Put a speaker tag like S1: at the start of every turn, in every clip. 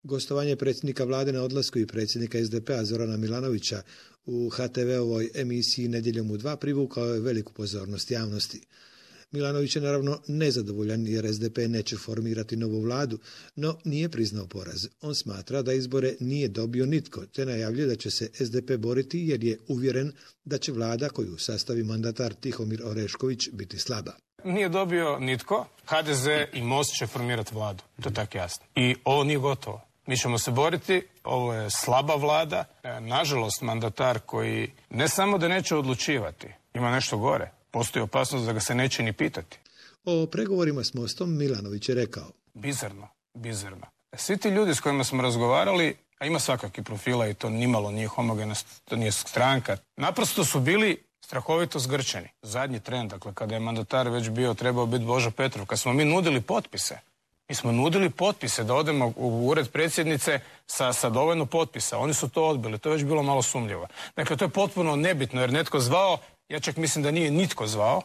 S1: Gostovanje predsjednika vlade na odlasku i predsjednika SDP-a Zorana Milanovića u HTV-ovoj emisiji Nedjeljom u 2 privukao je veliku pozornost javnosti. Milanović je naravno nezadovoljan jer SDP neće formirati novu vladu, no nije priznao poraz. On smatra da izbore nije dobio nitko, te najavljuje da će se SDP boriti jer je uvjeren da će vlada koju sastavi mandatar Tihomir Orešković biti slaba.
S2: Nije dobio nitko, HDZ i Most će formirati vladu, to je tako jasno. I ovo nije gotovo. Mi ćemo se boriti, ovo je slaba vlada. Nažalost, mandatar koji ne samo da neće odlučivati, ima nešto gore. Postoji opasnost da ga se neće ni pitati.
S1: O pregovorima s Mostom Milanović je rekao.
S2: Bizarno. Svi ti ljudi s kojima smo razgovarali, a ima svakakih profila i to nimalo nije homogenost, to nije stranka, naprosto su bili strahovito zgrčeni. Zadnji tren, dakle, kada je mandatar već trebao biti Božo Petrov, kad smo mi nudili potpise, da odemo u ured predsjednice sa dovoljno potpisa. Oni su to odbili, to je već bilo malo sumnjivo. Dakle, to je potpuno nebitno jer netko zvao, ja čak mislim da nije nitko zvao,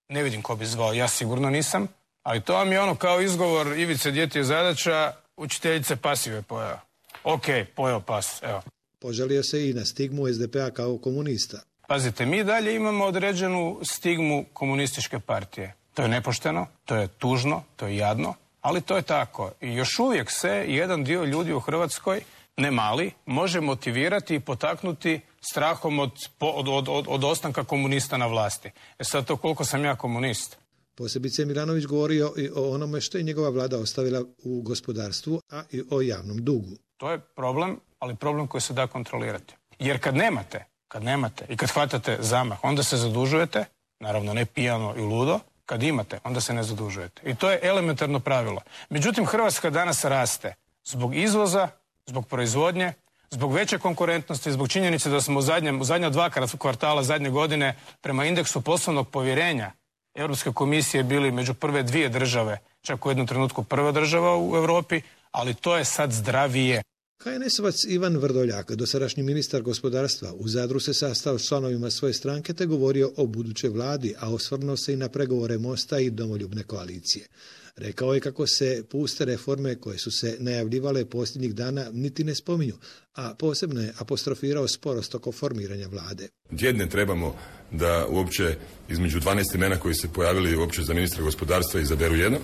S2: ne vidim ko bi zvao, ja sigurno nisam, ali to vam je ono kao izgovor Ivice Djeti je zadaća, učiteljice pasiv je pojeo. Ok, pojeo pas, evo.
S1: Požalio se i na stigmu SDP-a kao komunista.
S2: Pazite, mi dalje imamo određenu stigmu komunističke partije. To je nepošteno, to je tužno, to je jadno, ali to je tako. I još uvijek se jedan dio ljudi u Hrvatskoj, ne mali, može motivirati i potaknuti strahom od ostanka komunista na vlasti. Sad to koliko sam ja komunist.
S1: Posebice Milanović govorio i o onome što je njegova vlada ostavila u gospodarstvu, a i o javnom dugu.
S2: To je problem, ali problem koji se da kontrolirati. Jer kad nemate i kad hvatate zamah, onda se zadužujete, naravno ne pijano i ludo, kad imate, onda se ne zadužujete. I to je elementarno pravilo. Međutim, Hrvatska danas raste zbog izvoza, zbog proizvodnje, zbog veće konkurentnosti, zbog činjenice da smo u zadnja 2 kvartala zadnje godine prema indeksu poslovnog povjerenja Europske komisije bili među prve 2 države, čak u jednom trenutku prva država u Europi, ali to je sad zdravije.
S1: HNS-ovac Ivan Vrdoljak, dosadašnji ministar gospodarstva, u Zadru se sastao s članovima svoje stranke te govorio o budućoj vladi, a osvrnuo se i na pregovore Mosta i Domoljubne koalicije. Rekao je kako se puste reforme koje su se najavljivale posljednjih dana niti ne spominju, a posebno je apostrofirao sporost oko formiranja vlade.
S3: Tjedne trebamo da uopće između 12 imena koji se pojavili uopće za ministra gospodarstva izaberu jedno,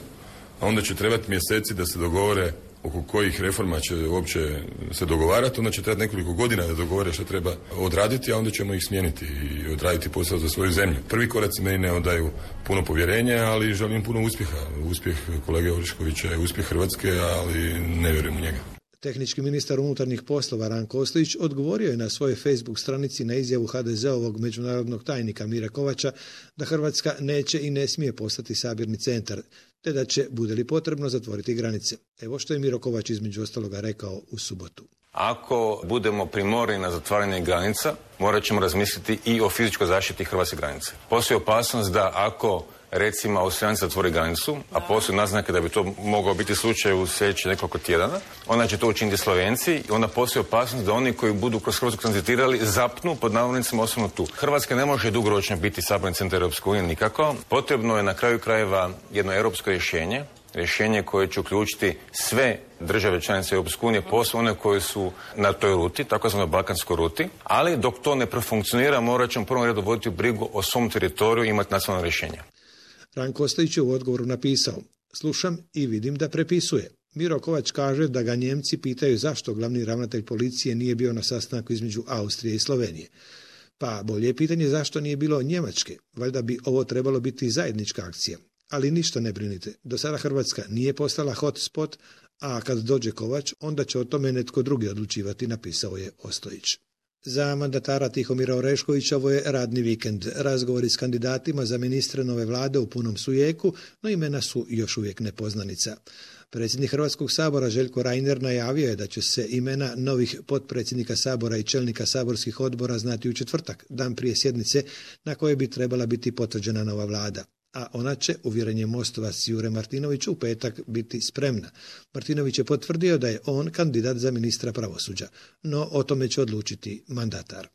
S3: a onda će trebati mjeseci da se dogovore oko kojih reforma će uopće se dogovarati, onda će trebati nekoliko godina da dogovore što treba odraditi, a onda ćemo ih smijeniti i odraditi posao za svoju zemlju. Prvi koraci meni ne odaju puno povjerenja, ali želim puno uspjeha. Uspjeh kolege Oreškovića je uspjeh Hrvatske, ali ne vjerujem u njega.
S1: Tehnički ministar unutarnjih poslova Ranko Ostojić odgovorio je na svojoj Facebook stranici na izjavu HDZ-ovog međunarodnog tajnika Mire Kovača da Hrvatska neće i ne smije postati sabirni centar, te da će, bude li potrebno, zatvoriti granice. Evo što je Miro Kovač između ostaloga rekao u subotu.
S4: Ako budemo primorani na zatvaranje granica, morat ćemo razmisliti i o fizičkoj zaštiti hrvatske granice. Postoji opasnost da ako recimo Austrijanci zatvori granicu, a postoji naznake da bi to mogao biti slučaj u sljedećih nekoliko tjedana, onda će to učiniti Slovenci i onda postoji opasnost da oni koji budu kroz Hrvatsku tranzitirali zapnu pod navodnicima osobno tu. Hrvatska ne može dugoročno biti saborni centar Europske unije nikako. Potrebno je na kraju krajeva jedno europsko rješenje koje će uključiti sve države članice Europske unije, posebno one koje su na toj ruti, takozvanoj balkanskoj ruti, ali dok to ne profunkcionira, morat ćemo u prvom redu voditi brigu o svom teritoriju i imati nacionalno rješenje.
S1: Ranko Ostojić je u odgovoru napisao: slušam i vidim da prepisuje. Miro Kovač kaže da ga Njemci pitaju zašto glavni ravnatelj policije nije bio na sastanku između Austrije i Slovenije. Pa bolje je pitanje zašto nije bilo Njemačke. Valjda bi ovo trebalo biti zajednička akcija. Ali ništa ne brinite. Do sada Hrvatska nije postala hot spot, a kad dođe Kovač, onda će o tome netko drugi odlučivati, napisao je Ostojić. Za mandatara Tihomira Oreškovića ovo je radni vikend. Razgovori s kandidatima za ministre nove vlade u punom su jeku, no imena su još uvijek nepoznanica. Predsjednik Hrvatskog sabora Željko Reiner najavio je da će se imena novih potpredsjednika sabora i čelnika saborskih odbora znati u četvrtak, dan prije sjednice na kojoj bi trebala biti potvrđena nova vlada. A ona će, uvjerenje Mostovac Jure Martinović, u petak biti spremna. Martinović je potvrdio da je on kandidat za ministra pravosuđa, no o tome će odlučiti mandatar.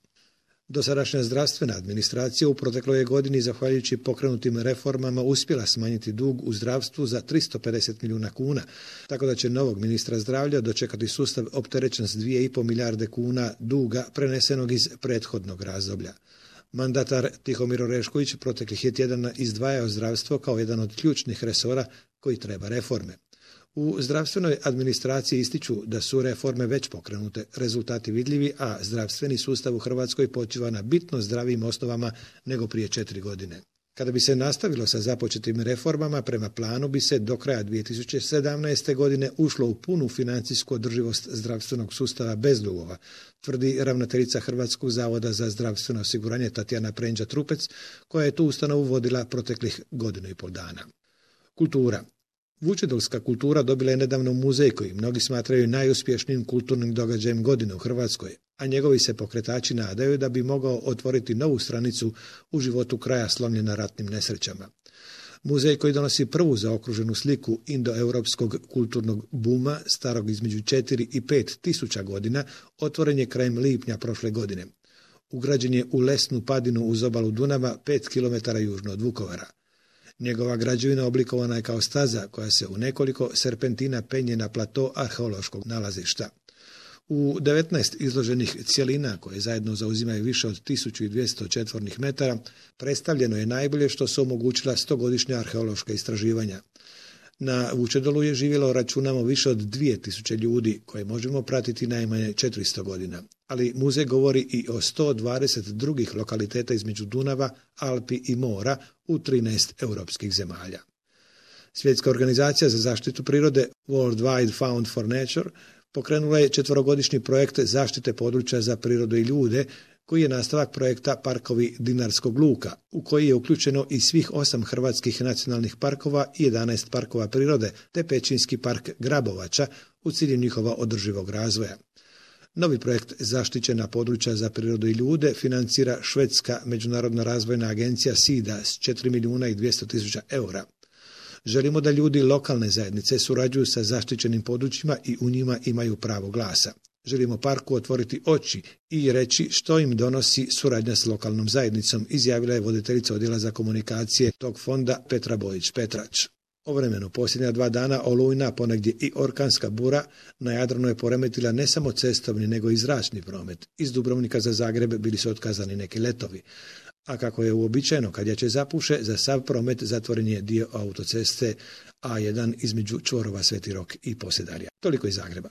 S1: Dosadašnja zdravstvena administracija u protekloj godini, zahvaljujući pokrenutim reformama, uspjela smanjiti dug u zdravstvu za 350 milijuna kuna, tako da će novog ministra zdravlja dočekati sustav opterećen s 2,5 milijarde kuna duga prenesenog iz prethodnog razdoblja. Mandatar Tihomir Orešković proteklih je tjedana izdvajao zdravstvo kao jedan od ključnih resora koji treba reforme. U zdravstvenoj administraciji ističu da su reforme već pokrenute, rezultati vidljivi, a zdravstveni sustav u Hrvatskoj počiva na bitno zdravijim osnovama nego prije 4 godine. Kada bi se nastavilo sa započetim reformama, prema planu bi se do kraja 2017. godine ušlo u punu financijsku održivost zdravstvenog sustava bez dugova, tvrdi ravnateljica Hrvatskog zavoda za zdravstveno osiguranje Tatjana Prenđa-Trupec, koja je tu ustanovu vodila proteklih 1,5 dana. Kultura. Vučedolska kultura dobila je nedavno muzej koji mnogi smatraju najuspješnijim kulturnim događajem godine u Hrvatskoj, a njegovi se pokretači nadaju da bi mogao otvoriti novu stranicu u životu kraja slomljena ratnim nesrećama. Muzej koji donosi prvu zaokruženu sliku indoeuropskog kulturnog buma starog između 4 i 5 tisuća godina otvoren je krajem lipnja prošle godine. Ugrađen je u lesnu padinu uz obalu Dunava 5 km južno od Vukovara. Njegova građevina oblikovana je kao staza koja se u nekoliko serpentina penje na plato arheološkog nalazišta. U 19 izloženih cjelina, koje zajedno zauzimaju više od 1200 četvornih metara, predstavljeno je najbolje što su omogućila 100-godišnja arheološka istraživanja. Na Vučedolu je živjelo, računamo, više od 2000 ljudi, koje možemo pratiti najmanje 400 godina. Ali muzej govori i o 120 drugih lokaliteta između Dunava, Alpi i mora u 13 europskih zemalja. Svjetska organizacija za zaštitu prirode World Wide Fund for Nature pokrenula je 4-godišnji projekt zaštite područja za prirodu i ljude, koji je nastavak projekta Parkovi Dinarskog luka, u koji je uključeno i svih 8 hrvatskih nacionalnih parkova i 11 parkova prirode, te Pećinski park Grabovača u cilju njihova održivog razvoja. Novi projekt Zaštićena područja za prirodu i ljude financira švedska međunarodna razvojna agencija SIDA s 4.200.000 eura. Želimo da ljudi lokalne zajednice surađuju sa zaštićenim područjima i u njima imaju pravo glasa. Želimo parku otvoriti oči i reći što im donosi suradnja s lokalnom zajednicom, izjavila je voditeljica odjela za komunikacije tog fonda Petra Bojić-Petrač. O vremenu posljednja 2 dana olujna, ponegdje i orkanska bura na Jadranu je poremetila ne samo cestovni nego i zračni promet. Iz Dubrovnika za Zagreb bili su otkazani neki letovi. A kako je uobičajeno kad jače zapuše, za sav promet zatvoren je dio autoceste A1 između čvorova Sveti Rok i Posedarja. Toliko iz Zagreba.